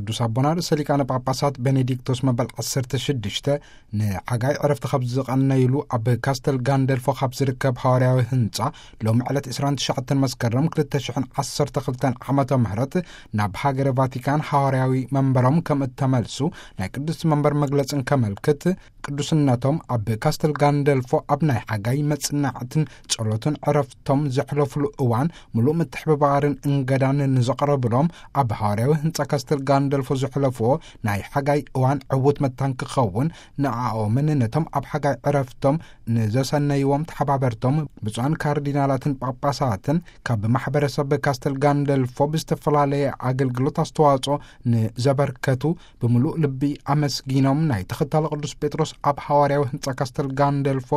ቅዱስ ኣቦና ርእሰ ሊቃነ ጳጳሳት ቤኔዲክቶስ መበል ዓሰርተ ሽዱሽተ ንሓጋይ ዕረፍቲ ካብ ዝቐነይሉ ኣብ ካስተል ጋንደልፎ ካብ ዝርከብ ሃዋርያዊ ህንጻ ሎሚ ዕለት ዕስራን ትሽዓተን መስከረም ክልተ ሽሕን ዓሰርተ ክልተን ዓመተ ምህረት ናብ ሃገረ ቫቲካን ሃዋርያዊ መንበሮም ከም እተመልሱ ናይ ቅዱስ መንበር መግለጽን ከመልክት፣ ቅዱስነቶም ኣብ ካስተል ጋንደልፎ ኣብ ናይ ሓጋይ መጽናዕትን ጸሎትን ዕረፍቶም ዘሕለፉሉ እዋን ምሉእ ምትሕብባርን እንገዳን ንዘቕረብሎም ኣብ ሃዋርያዊ ህንጻ ካስተል ጋንደልፎ ዘሕለፍዎ ናይ ሓጋይ እዋን ዕዉት መታን ክኸውን ንኣኦምን ነቶም ኣብ ሓጋይ ዕረፍቶም ንዘሰነይዎም ተሓባበርቶም ብፁዓን ካርዲናላትን ጳጳሳትን ካብ ማሕበረሰብ ካስተል ጋንደልፎ ብዝተፈላለየ ኣገልግሎት ኣስተዋጽኦ ንዘበርከቱ ብምሉእ ልቢ ኣመስጊኖም ናይ ተኸታሊ ቅዱስ ጴጥሮስ ኣብ ሃዋርያዊ ህንጻ ካስተል ጋንደልፎ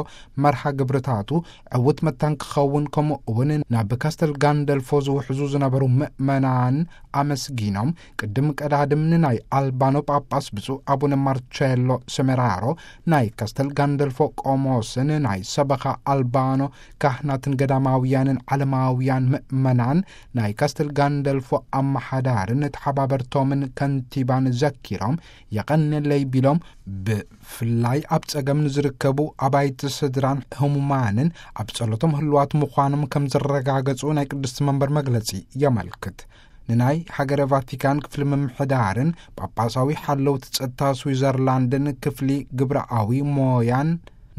መርሃ ግብርታቱ ዕዉት መታን ክኸውን ከምኡ እውን ናብ ካስተል ጋንደልፎ ዝውሕዙ ዝነበሩ ምእመናን ኣመስጊኖም ቅድም ቀዳድም ንናይ ኣልባኖ ጳጳስ ብፁዕ ኣቡነ ማርቸሎ ሰሜራሮ ናይ ካስተል ጋንደልፎ ቆሞስን ናይ ሰበኻ ኣልባኖ ካህናትን ገዳማውያንን ዓለማውያን ምእመናን ናይ ካስተል ጋንደልፎ ኣመሓዳርን ተሓባበርቶምን ከንቲባን ዘኪሮም የቐንለይ ቢሎም ብፍላይ ኣብ ጸገም ንዝርከቡ ኣባይቲ ስድራን ህሙማንን ኣብ ጸሎቶም ህልዋት ምዃኖም ከም ዘረጋገጹ ናይ ቅድስቲ መንበር መግለጺ የመልክት። ንናይ ሃገረ ቫቲካን ክፍሊ ምምሕዳርን ጳጳሳዊ ሓለውቲ ጸጥታ ስዊዘርላንድን ክፍሊ ግብረኣዊ ሞያን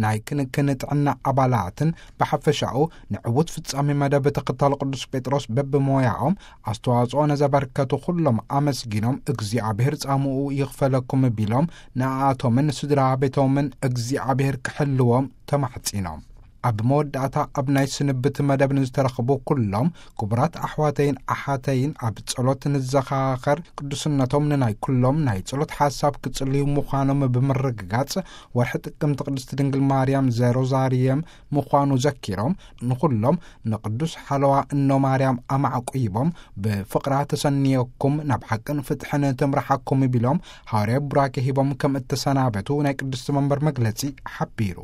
ናይ ክንክን ጥዕና ኣባላትን ብሓፈሻኡ ንዕዉት ፍጻሜ መደብ ተኸታሊ ቅዱስ ጴጥሮስ በብሞያኦም ኣስተዋጽኦ ነዘበርከቱ ኩሎም ኣመስጊኖም እግዚኣብሔር ጻምኡ ይኽፈለኩም ቢሎም ንኣኣቶምን ስድራ ቤቶምን እግዚኣብሔር ክሕልዎም ተማሕጺኖም። ኣብ መወዳእታ ኣብ ናይ ስንብት መደብ ንዝተረኽቡ ኩሎም ክቡራት ኣሕዋተይን ኣሓተይን ኣብ ጸሎት ንዘኻኸር ቅዱስነቶም ንናይ ኩሎም ናይ ጸሎት ሓሳብ ክጽልዩ ምዃኖም ብምርግጋጽ ወርሒ ጥቅምቲ ቅድስቲ ድንግል ማርያም ዘሮዛርየም ምዃኑ ዘኪሮም ንኹሎም ንቅዱስ ሓለዋ እኖ ማርያም ኣማዕቁይቦም ብፍቕራ ተሰንየኩም ናብ ሓቅን ፍትሕን ትምርሓኩም ቢሎም ሃዋርያዊ ቡራኬ ሂቦም ከም እተሰናበቱ ናይ ቅድስቲ መንበር መግለጺ ሓቢሩ።